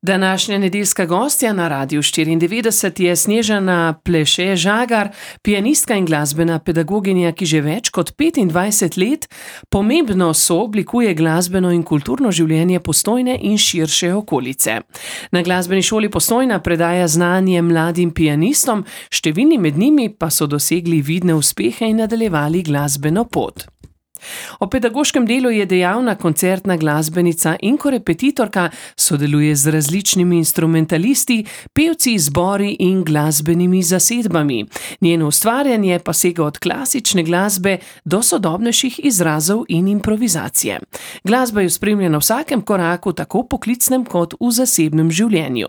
Današnja nedeljska gostja na Radiu 94 je Snežana Pleše-Žagar, pianistka in glasbena pedagoginja, ki že več kot 25 let pomembno sooblikuje glasbeno in kulturno življenje Postojne in širše okolice. Na glasbeni šoli Postojna predaja znanje mladim pianistom, številni med njimi pa so dosegli vidne uspehe in nadaljevali glasbeno pot. O pedagoškem delu je dejavna koncertna glasbenica in korepetitorka, sodeluje z različnimi instrumentalisti, pevci, zbori in glasbenimi zasedbami. Njeno ustvarjanje pa sega od klasične glasbe do sodobnejših izrazov in improvizacije. Glasba jo spremlja na vsakem koraku, tako poklicnem kot v zasebnem življenju.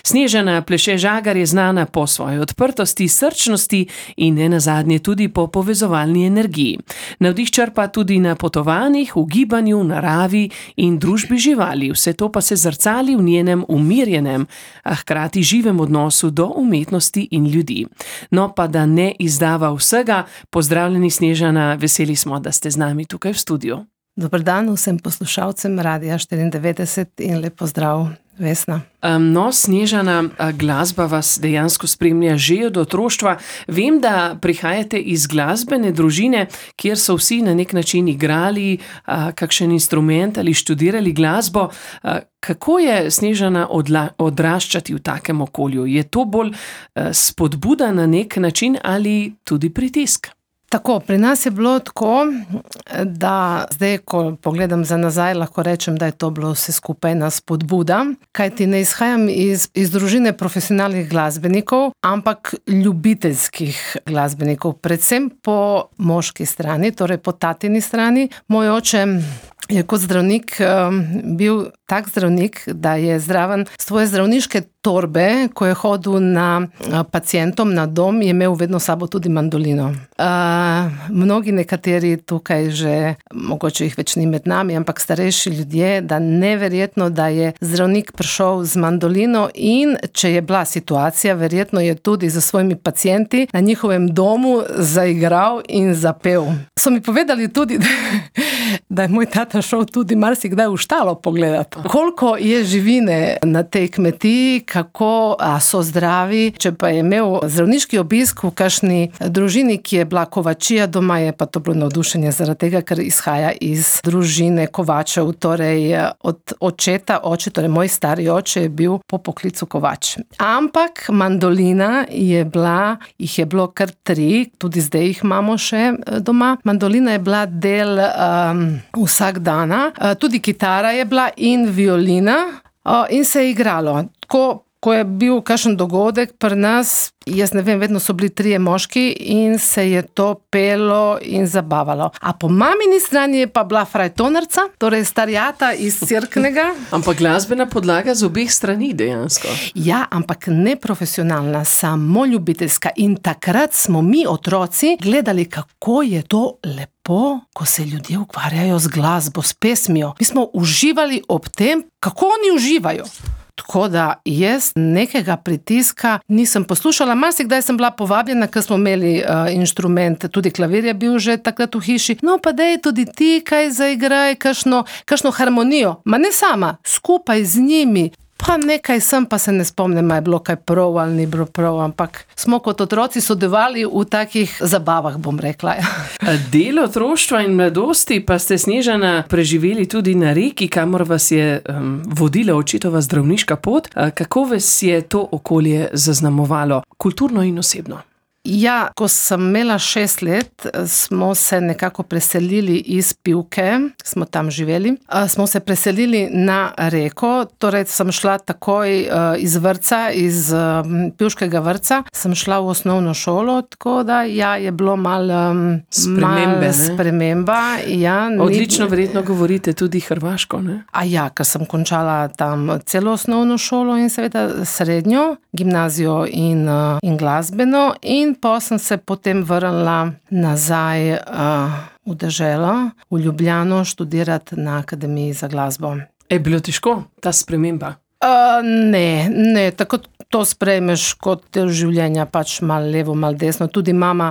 Snežana Pleše-Žagar je znana po svoji odprtosti, srčnosti in nenazadnje tudi po povezovalni energiji. Navdih črpa tudi na potovanjih, v gibanju, naravi in družbi živali. Vse to pa se zrcali v njenem umirjenem, a hkrati živem odnosu do umetnosti in ljudi. No, pa da ne izdava vsega, pozdravljeni Snežana, veseli smo, da ste z nami tukaj v studiu. Dober dan vsem poslušalcem Radia 94 in lep pozdrav, Vesna. No, Snežana, glasba vas dejansko spremlja že od otroštva. Vem, da prihajate iz glasbene družine, kjer so vsi na nek način igrali kakšen instrument ali študirali glasbo. Kako je, Snežana, odraščati v takem okolju? Je to bolj spodbuda na nek način ali tudi pritisk? Tako, pri nas je bilo tako, da zdaj, ko pogledam za nazaj, lahko rečem, da je to bilo vse skupaj ena spodbuda, kajti ne izhajam iz družine profesionalnih glasbenikov, ampak ljubiteljskih glasbenikov, predvsem po moški strani, torej po tatini strani. Moj oče je kot zdravnik bil tak zdravnik, da je zraven svoje zdravniške torbe, ko je hodil na pacientom na dom, je imel vedno sabo tudi mandolino. Mnogi nekateri tukaj že, mogoče jih več ni med nami, ampak starejši ljudje, da neverjetno, da je zdravnik prišel z mandolino in če je bila situacija, verjetno je tudi za svojimi pacienti na njihovem domu zaigral in zapel. So mi povedali tudi, da je moj tata šel tudi marsikdaj v štalo pogledati. Koliko je živine na tej kmetiji, kako so zdravi. Če pa je imel zdravniški obisk v kakšni družini, ki je bila kovačija doma, je pa to bilo navdušenje zaradi tega, ker izhaja iz družine kovačev, torej od očeta, torej moj stari oče je bil po poklicu kovač. Ampak mandolina jih je bilo kar 3, tudi zdaj jih imamo še doma. Mandolina je bila del vsak dana, tudi kitara je bila in violina in se je igralo. Ko je bil kakšen dogodek pri nas, jaz ne vem, vedno so bili 3 moški in se je to pelo in zabavalo. A po mamini strani je pa bila frajtonarca, torej starjata iz Cerknega. Ampak glasbena podlaga z obeh strani dejansko. Ja, ampak ne profesionalna, samo ljubiteljska. In takrat smo mi, otroci, gledali, kako je to lepo, ko se ljudje ukvarjajo z glasbo, s pesmijo. Mi smo uživali ob tem, kako oni uživajo. Tako da jaz nekega pritiska nisem poslušala. Marsikdaj sem bila povabljena, ker smo imeli inštrument, tudi klavir je bil že takrat v hiši. No pa daj tudi ti kaj zaigraj, kakšno harmonijo. Ma ne sama, skupaj z njimi. Pa nekaj sem, pa se ne spomnim, je bilo kaj prav ali ni bilo prav, ampak smo kot otroci sodelovali v takih zabavah, bom rekla. Del otroštva in mladosti pa ste, Snežana, preživeli tudi na Reki, kamor vas je vodila očetova zdravniška pot. Kako vas je to okolje zaznamovalo, kulturno in osebno? Ja, ko sem imela 6 let, smo se nekako preselili iz Pivke, smo tam živeli, smo se preselili na Reko, torej sem šla takoj iz vrtca, iz Pivškega vrtca, sem šla v osnovno šolo, tako da je bilo malo sprememba. Ja, odlično verjetno govorite tudi hrvaško, ne? Ker sem končala tam celo osnovno šolo in seveda srednjo, gimnazijo in glasbeno in pa sem se potem vrnila nazaj v deželo, v Ljubljano, študirati na Akademiji za glasbo. Je bilo težko ta sprememba? Ne, tako to sprejmeš kot del življenja, pač malo levo, malo desno. Tudi mama,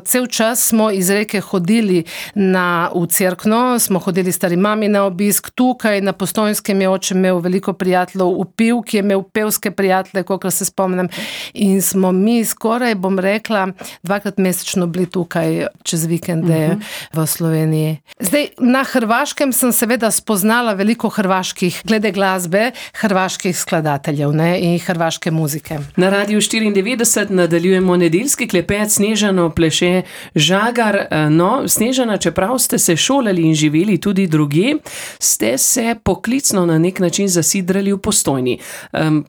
cel čas smo iz Reke hodili v cerkno, smo hodili stari mami na obisk, tukaj na Postojnskem je oče imel veliko prijateljev, v Pivki je imel pevske prijatelje, kolikor se spomnim, in smo mi skoraj, bom rekla, 2-krat mesečno bili tukaj čez vikende v Sloveniji. Zdaj, na Hrvaškem sem seveda spoznala veliko hrvaških, glede glasbe, hrvaških skladateljev, ne, in hrvaške muzike. Na Radiu 94 nadaljujemo nedeljski klepet s Snežano Pleše Žagar. No, Snežana, čeprav ste se šolali in živeli tudi drugje, ste se poklicno na nek način zasidrali v Postojni.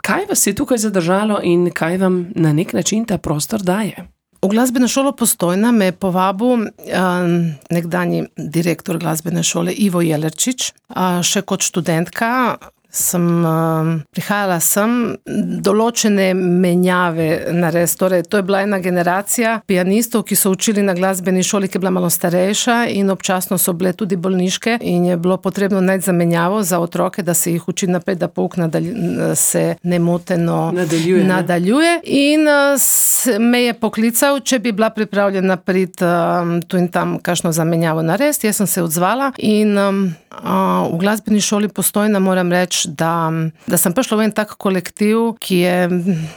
Kaj vas je tukaj zadržalo in kaj vam na nek način ta prostor daje? V glasbeno šolo Postojna me je povabil nekdanji direktor glasbene šole Ivo Jelerčič, še kot študentka. Prihajala sem določene menjave narediti. Torej, to je bila ena generacija pianistov, ki so učili na glasbeni šoli, ki je bila malo starejša in občasno so bile tudi bolniške in je bilo potrebno najti zamenjavo za otroke, da se jih uči naprej, da pouk se nemoteno nadaljuje. In me je poklical, če bi bila pripravljena priti tu in tam kakšno zamenjavo narediti. Jaz sem se odzvala in v glasbeni šoli Postojna moram reči, da sem prišla v en tak kolektiv, ki je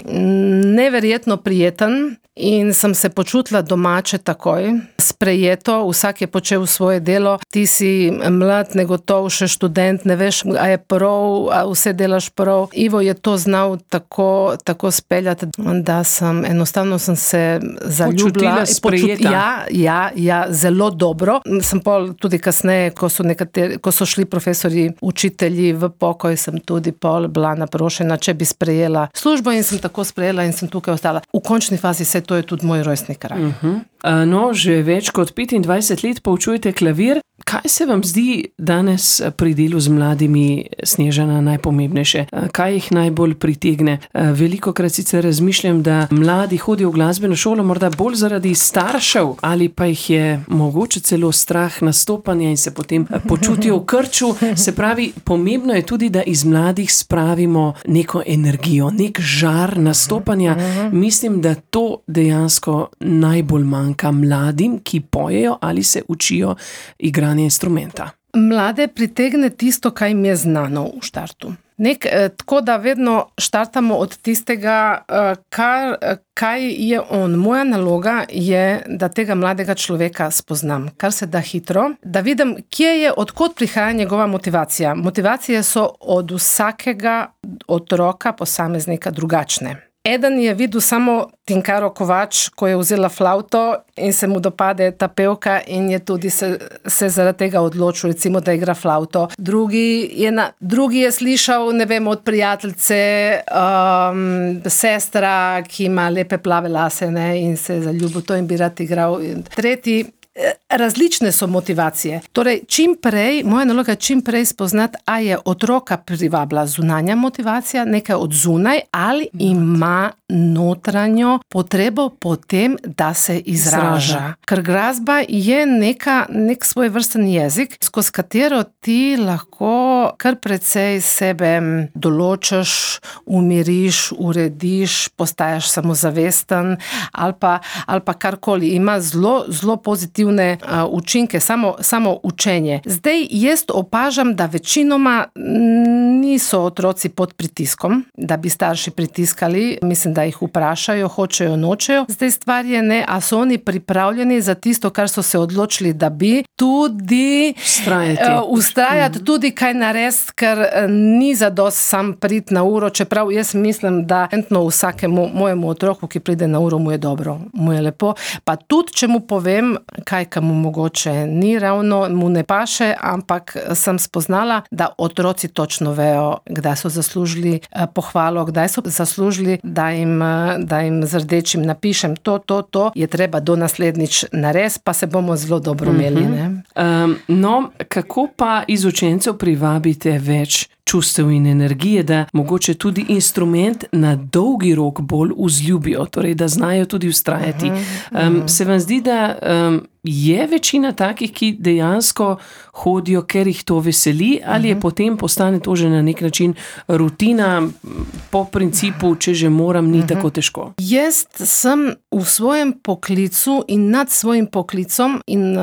neverjetno prijeten in sem se počutila domače takoj, sprejeto, vsak je počel svoje delo, ti si mlad, negotov, še študent, ne veš, a je prav, a vse delaš prav. Ivo je to znal tako speljati, da enostavno sem se zaljubila. Počutila sprejeta. Ja, zelo dobro. Sem pol tudi kasneje, ko so šli profesori, učitelji v pokoj, sem tudi pol bila naprošena, če bi sprejela službo in sem tako sprejela in sem tukaj ostala. V končni fazi to je tudi moj rojstni kraj. No, že več kot 25 let poučujete klavir. Kaj se vam zdi danes pri delu z mladimi, Snežana, najpomembnejše? Kaj jih najbolj pritegne? Velikokrat sicer razmišljam, da mladi hodijo v glasbeno šolo morda bolj zaradi staršev ali pa jih je mogoče celo strah nastopanja in se potem počutijo v krču. Se pravi, pomembno je tudi, da iz mladih spravimo neko energijo, nek žar nastopanja. Mislim, da to dejansko najbolj manjka mladim, ki pojejo ali se učijo igranja instrumenta. Mlade pritegne tisto, kaj jim je znano v štartu. Tako da vedno štartamo od tistega, kaj je on. Moja naloga je, da tega mladega človeka spoznam, kar se da hitro, da vidim, odkot prihaja njegova motivacija. Motivacije so od vsakega otroka, posameznika drugačne. Eden je videl samo Tinkaro Kovač, ko je vzela flavto in se mu dopade ta pevka in je tudi se zaradi tega odločil, recimo, da igra flavto. Drugi je slišal, ne vem, od prijateljice, sestra, ki ima lepe plave lase, ne, in se je zaljubil to in bi rad igral. Tretji, različne so motivacije. Torej, moja naloga je čim prej spoznati, a je otroka privabila zunanja motivacija, nekaj od zunaj, ali ima notranjo potrebo po tem, da se izraža. Ker glasba je nek svoj vrsten jezik, skozi katero ti lahko kar precej sebe določiš, umiriš, urediš, postaješ samozavesten ali pa karkoli. Ima zelo pozitivne učinke, samo učenje. Zdaj jaz opažam, da večinoma niso otroci pod pritiskom, da bi starši pritiskali, mislim, da jih vprašajo, hočejo, nočejo. Zdaj stvar je, a so oni pripravljeni za tisto, kar so se odločili, da bi tudi ustrajati, tudi kaj narediti, ker ni zadost sam priti na uro, čeprav jaz mislim, da vsakemu mojemu otroku, ki pride na uro, mu je dobro, mu je lepo. Pa tudi, če mu povem, kaj mu mogoče ni ravno, mu ne paše, ampak sem spoznala, da otroci točno vejo, kdaj so zaslužili pohvalo, kdaj so zaslužili, da jim z rdečim napišem to, je treba do naslednjič narediti, pa se bomo zelo dobro imeli. No, kako pa iz učencev privabite več čustev in energije, da mogoče tudi instrument na dolgi rok bolj vzljubijo, torej da znajo tudi vztrajati. Se vam zdi, da je večina takih, ki dejansko hodijo, ker jih to veseli, ali je potem postane to že na nek način rutina po principu, če že moram, ni tako težko? Jaz sem v svojem poklicu in nad svojim poklicom in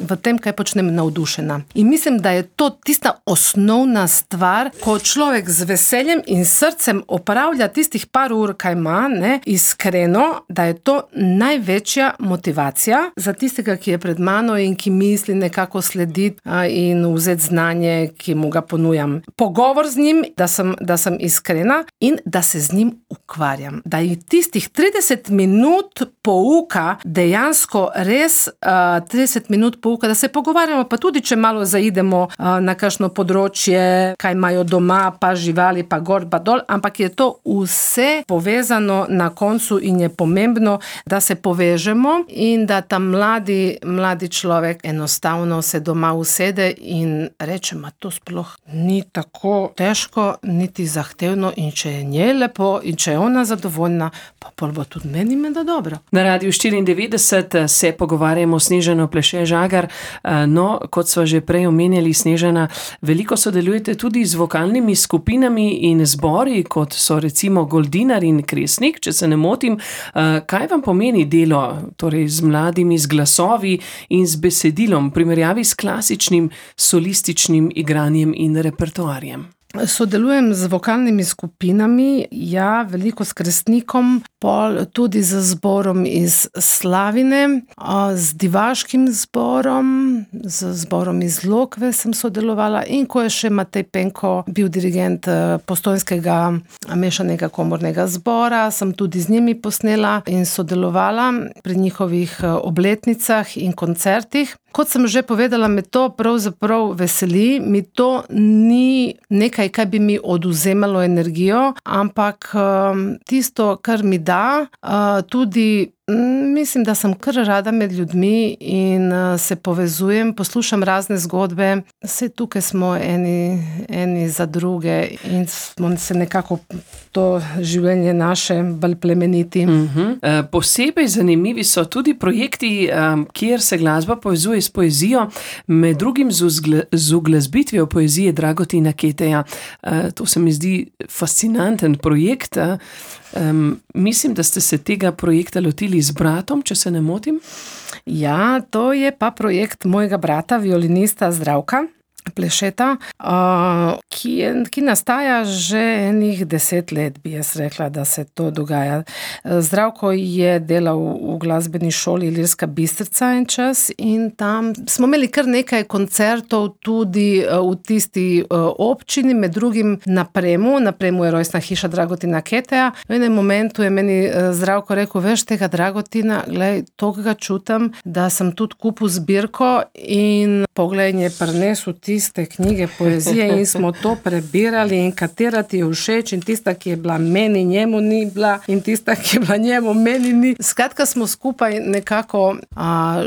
v tem, kaj počnem, navdušena. In mislim, da je to tista osnovna stvar, ko človek z veseljem in srcem opravlja tistih par ur, kaj ima, ne, iskreno, da je to največja motivacija za tistega, ki je pred mano in ki misli nekako slediti in vzeti znanje, ki mu ga ponujam. Pogovor z njim, da sem iskrena in da se z njim ukvarjam. Da je tistih 30 minut pouka dejansko res 30 minut pouka, da se pogovarjamo, pa tudi, če malo zaidemo na kakšno področje, kaj imajo doma, pa živali, pa gor, pa dol, ampak je to vse povezano na koncu in je pomembno, da se povežemo in da ta mladi človek enostavno se doma usede in reče, to sploh ni tako težko, niti zahtevno in če je njej lepo in če je ona zadovoljna, pa pol bo tudi meni menda dobro. Na Radiu 94 se pogovarjamo s Snežano Pleše Žagar. No, kot sva že prej omenjali, Snežana, veliko sodelujete tudi z vokalnimi skupinami in zbori, kot so recimo Goldinar in Kresnik, če se ne motim. Kaj vam pomeni delo torej z mladimi, z glasovi in z besedilom v primerjavi s klasičnim solističnim igranjem in repertoarjem? Sodelujem z vokalnimi skupinami, veliko s Kresnikom, pol tudi z zborom iz Slavine, z divaškim zborom, z zborom iz Lokve sem sodelovala in ko je še Matej Penko bil dirigent Postojnskega mešanega komornega zbora, sem tudi z njimi posnela in sodelovala pri njihovih obletnicah in koncertih. Kot sem že povedala, me to pravzaprav veseli, mi to ni nekaj, kaj bi mi odvzemalo energijo, ampak tisto, kar mi da, tudi mislim, da sem kar rada med ljudmi in se povezujem, poslušam razne zgodbe, vse tukaj smo eni za druge in smo se nekako to življenje naše bolj plemeniti. Posebej zanimivi so tudi projekti, kjer se glasba povezuje s poezijo, med drugim z uglasbitvijo poezije Dragotina Keteja. To se mi zdi fascinanten projekt. Mislim, da ste se tega projekta lotili z bratom, če se ne motim? Ja, to je pa projekt mojega brata, violinista Zdravka Plešeta, ki nastaja že enih 10 let, bi jaz rekla, da se to dogaja. Zdravko je delal v glasbeni šoli Ilirska Bistrica en čas in tam smo imeli kar nekaj koncertov tudi v tisti občini, med drugim na Premu je rojstna hiša Dragotina Keteja. V enem momentu je meni Zdravko rekel, veš tega Dragotina, glej, toga ga čutim, da sem tudi kupil zbirko in poglej, je prinesel tiste knjige poezije in smo to prebirali in katera ti je všeč in tista, ki je bila meni, njemu ni bila in tista, ki je bila njemu, meni ni. Skratka, smo skupaj nekako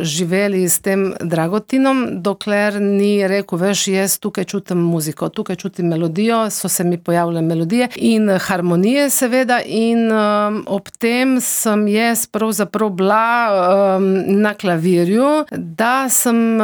živeli s tem Dragotinom, dokler ni rekel, veš, jaz tukaj čutim muziko, tukaj čutim melodijo, so se mi pojavile melodije in harmonije seveda in ob tem sem jaz pravzaprav bila na klavirju, da sem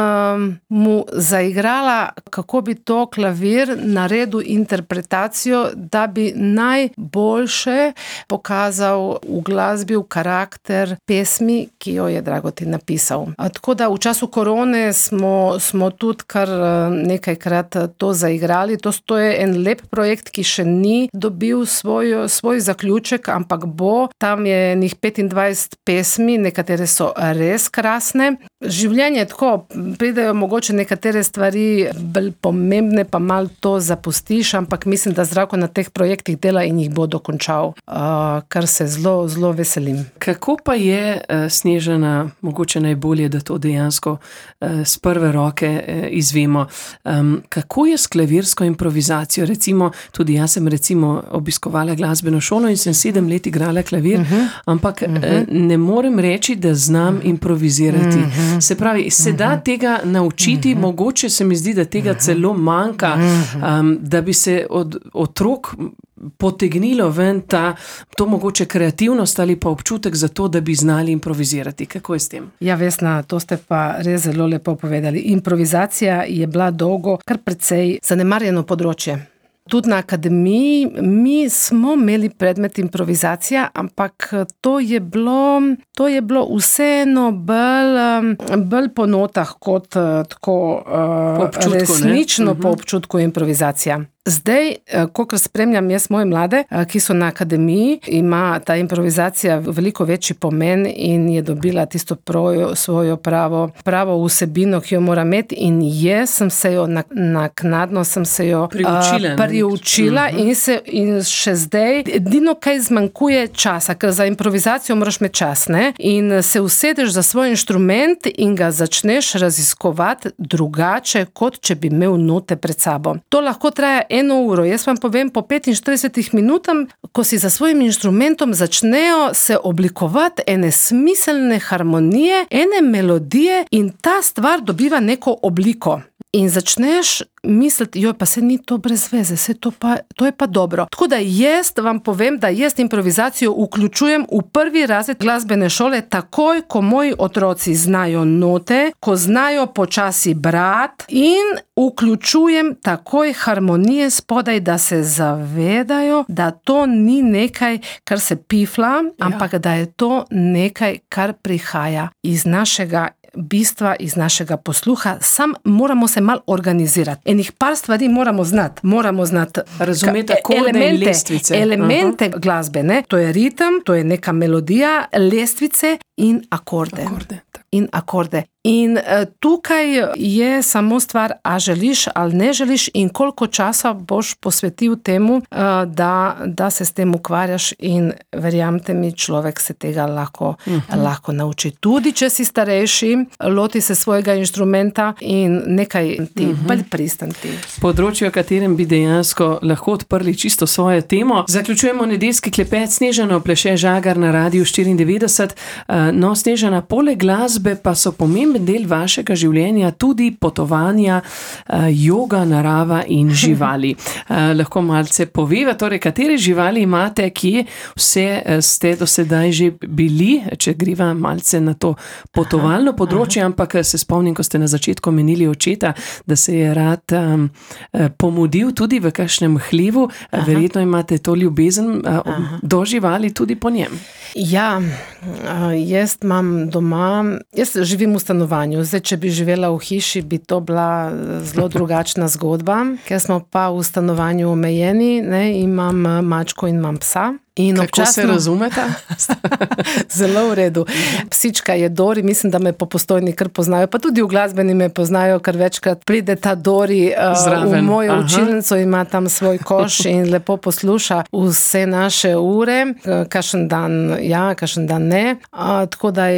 mu zaigrala, kako bi to klavir naredil interpretacijo, da bi najboljše pokazal v glasbi, v karakter pesmi, ki jo je Dragotin napisal. Tako da v času korone smo tudi kar nekajkrat to zaigrali. To je en lep projekt, ki še ni dobil svoj zaključek, ampak bo. Tam je njih 25 pesmi, nekatere so res krasne. Življenje tako, pridejo mogoče nekatere stvari bolj pomembne, pa malo to zapustiš, ampak mislim, da Zdravko na teh projektih dela in jih bo dokončal, kar se zelo, zelo veselim. Kako pa je, Snežana, mogoče najbolje, da to dejansko z prve roke izvemo, kako je s klavirsko improvizacijo? Recimo, tudi jaz sem obiskovala glasbeno šolo in sem 7 let igrala klavir, ampak ne morem reči, da znam improvizirati. Se pravi, se da tega naučiti, mogoče se mi zdi, da tega celo manjka, da bi se od otrok potegnilo ven to mogoče kreativnost ali pa občutek za to, da bi znali improvizirati? Kako je s tem? Ja, Vesna, to ste pa res zelo lepo povedali. Improvizacija je bila dolgo kar precej zanemarjeno področje. Tudi na akademiji mi smo imeli predmet improvizacija, ampak to je bilo vseeno bolj po notah kot tako resnično po občutku improvizacija. Zdaj, kolikor spremljam jaz moje mlade, ki so na akademiji, ima ta improvizacija veliko večji pomen in je dobila tisto svojo pravo vsebino, ki jo mora imeti, in jaz sem se jo naknadno priučila in še zdaj edino kaj zmanjkuje časa, ker za improvizacijo moraš imeti čas, ne? In se usedeš za svoj inštrument in ga začneš raziskovati drugače, kot če bi imel note pred sabo. To lahko traja 1 uro. Jaz vam povem, po 45 minutam, ko si za svojim inštrumentom začnejo se oblikovati ene smiselne harmonije, ene melodije in ta stvar dobiva neko obliko. In začneš misliti, pa se ni to brez veze, to je pa dobro. Tako da jaz vam povem, da jaz improvizacijo vključujem v 1. razred glasbene šole takoj, ko moji otroci znajo note, ko znajo počasi brati, in vključujem takoj harmonije spodaj, da se zavedajo, da to ni nekaj, kar se pifla, ampak da je to nekaj, kar prihaja iz našega bistva, iz našega posluha. Sam moramo se malo organizirati. Enih par stvari moramo znati. Razumeti akorde in lestvice. Elemente glasbe, ne? To je ritem, to je neka melodija, lestvice in akorde. In tukaj je samo stvar, a želiš ali ne želiš in koliko časa boš posvetil temu, da se s tem ukvarjaš, in verjamte mi, človek se tega lahko nauči. Tudi če si starejši, loti se svojega inštrumenta in nekaj ti bolj pristanti. Področje, o katerem bi dejansko lahko odprli čisto svojo temo. Zaključujemo nedeljski klepet. Snežana pleše Žagar na Radiu 94. No, Snežana, poleg glasbe pa so pomemben del vašega življenja tudi potovanja, joga, narava in živali. Lahko malce poveva, torej, katere živali imate, kje vse ste do sedaj že bili, če greva malce na to potovalno področje, ampak se spomnim, ko ste na začetku menili očeta, da se je rad pomudil tudi v kakšnem hlevu. Verjetno imate to ljubezen do živali tudi po njem. Ja, jaz imam doma, jaz živim v stanovanju. Zdaj, če bi živela v hiši, bi to bila zelo drugačna zgodba, ker smo pa v stanovanju omejeni, ne, imam mačko in imam psa. Kako se razumeta? Zelo v redu. Psička je Dori, mislim, da me po Postojni kar poznajo, pa tudi v glasbeni me poznajo, ker večkrat pride ta Dori v mojo učilnico, ima tam svoj koš in lepo posluša vse naše ure, kakšen dan ja, kakšen dan ne. Tako da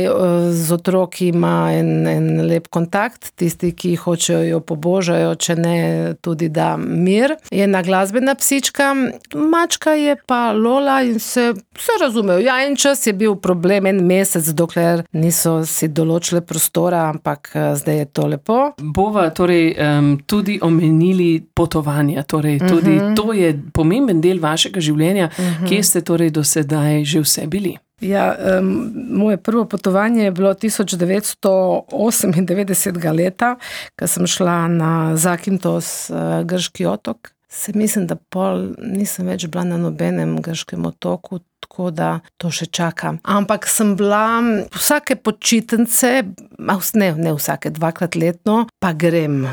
z otroki ima en lep kontakt, tisti, ki hočejo jo pobožajo, če ne tudi da mir. Je ena glasbena psička, mačka je pa Lola in se razumejo. Ja, en čas je bil problem, 1 mesec, dokler niso si določile prostora, ampak zdaj je to lepo. Bova torej tudi omenili potovanja, torej tudi to je pomemben del vašega življenja. Kje ste torej do sedaj že vse bili? Ja, moje prvo potovanje je bilo 1998 leta, ko sem šla na Zakintos, grški otok. Mislim, da pol nisem več bila na nobenem grškem otoku, tako da to še čakam. Ampak sem bila vsake počitnice, ne vsake, 2-krat letno, pa grem.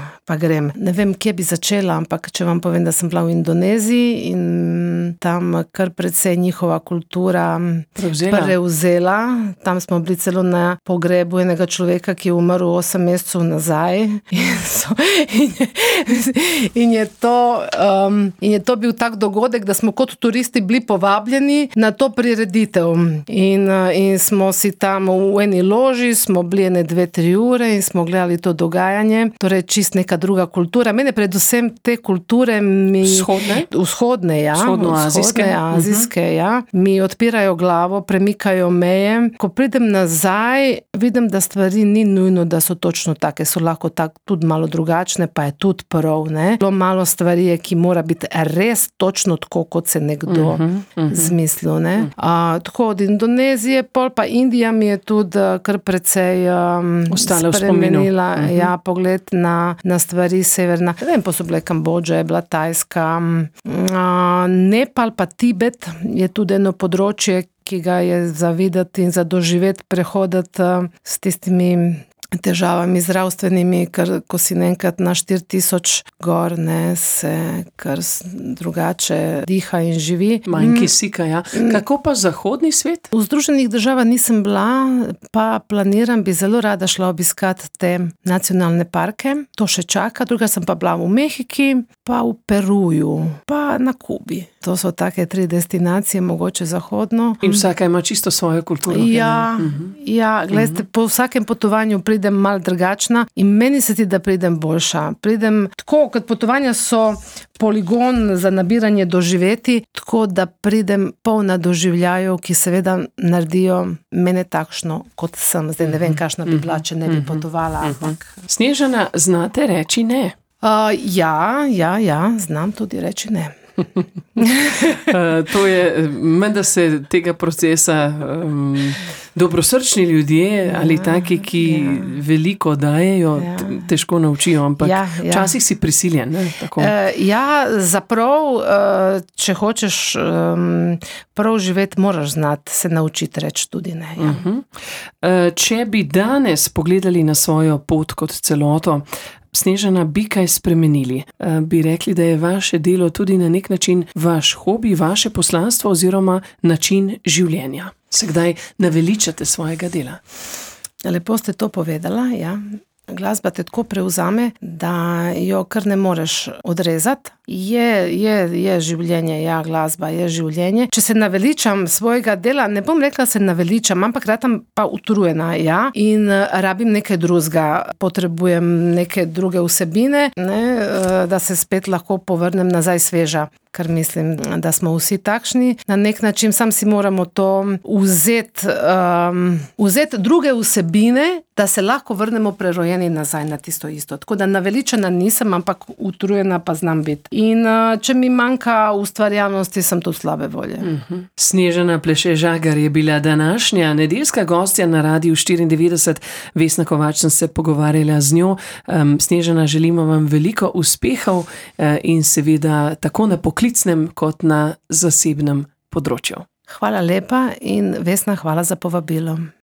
Ne vem, kje bi začela, ampak če vam povem, da sem bila v Indoneziji in tam kar precej njihova kultura prevzela. Tam smo bili celo na pogrebu enega človeka, ki je umrl 8 mesecev nazaj. In je to bil tak dogodek, da smo kot turisti bili povabljeni na to prireditev. In smo si tam v eni loži, smo bili 2-3 ure in smo gledali to dogajanje. Torej čist neka druga kultura. Mene predvsem te kulture vzhodne, ja. Azijske, ja. Mi odpirajo glavo, premikajo meje. Ko pridem nazaj, vidim, da stvari ni nujno, da so točno take, so lahko tudi malo drugačne, pa je tudi prav, ne. Zelo malo stvari je, ki mora biti res točno tako, kot se nekdo zmislil, ne. Tako od Indonezije, pol pa Indija mi je tudi kar precej spremenila, ja, pogled na stvari severna. Ne vem, pa so bile Kambodža, je bila Tajska, Nepal pa Tibet je tudi eno področje, ki ga je za videti in za doživeti, prehoditi s tistimi težavami zdravstvenimi, ker ko si enkrat na 4000 gor, ne, se kar drugače diha in živi. Manj kisika, ja. Kako pa zahodni svet? V Združenih državah nisem bila, pa planiram, bi zelo rada šla obiskati te nacionalne parke. To še čaka. Druga sem pa bila v Mehiki, pa v Peruju, pa na Kubi. To so take 3 destinacije, mogoče zahodno. In vsaka ima čisto svojo kulturo. Ja, gledajte, po vsakem potovanju pridem malo drugačna in meni se ti, da pridem boljša. Pridem tako, kot potovanja so poligon za nabiranje doživeti, tako da pridem polna doživljajev, ki seveda naredijo mene takšno, kot sem. Zdaj ne vem, kakšna bi bila, če ne bi potovala. Snežana, znate reči ne? Ja, znam tudi reči ne. To je, menda se tega procesa dobrosrčni ljudje ali taki, ki veliko dajejo, težko naučijo, ampak včasih si prisiljen. Tako. Zaprav, če hočeš prav živeti, moraš znati se naučiti reči tudi ne. Če bi danes pogledali na svojo pot kot celoto, Snežana, bi kaj spremenili? Bi rekli, da je vaše delo tudi na nek način vaš hobi, vaše poslanstvo oziroma način življenja? Se kdaj naveličate svojega dela? Lepo ste to povedala, ja. Glasba te tako prevzame, da jo kar ne moreš odrezati. Je življenje, ja, glasba je življenje. Če se naveličam svojega dela, ne bom rekla, se naveličam, ampak ratam pa utrujena, ja, in rabim nekaj drugega. Potrebujem neke druge vsebine, ne, da se spet lahko povrnem nazaj sveža. Ker mislim, da smo vsi takšni. Na nek način sam si moramo to vzeti druge vsebine, da se lahko vrnemo prerojeni nazaj na tisto isto. Tako da naveličena nisem, ampak utrujena pa znam biti. In če mi manjka ustvarjalnosti, sem tudi slabe volje. Snežana Pleše Žagar je bila današnja nedeljska gostja na Radiu 94. Vesna Kovač, sem se pogovarjala z njo. Snežana, želimo vam veliko uspehov in seveda tako na poklicnem kot na zasebnem področju. Hvala lepa in Vesna, hvala za povabilo.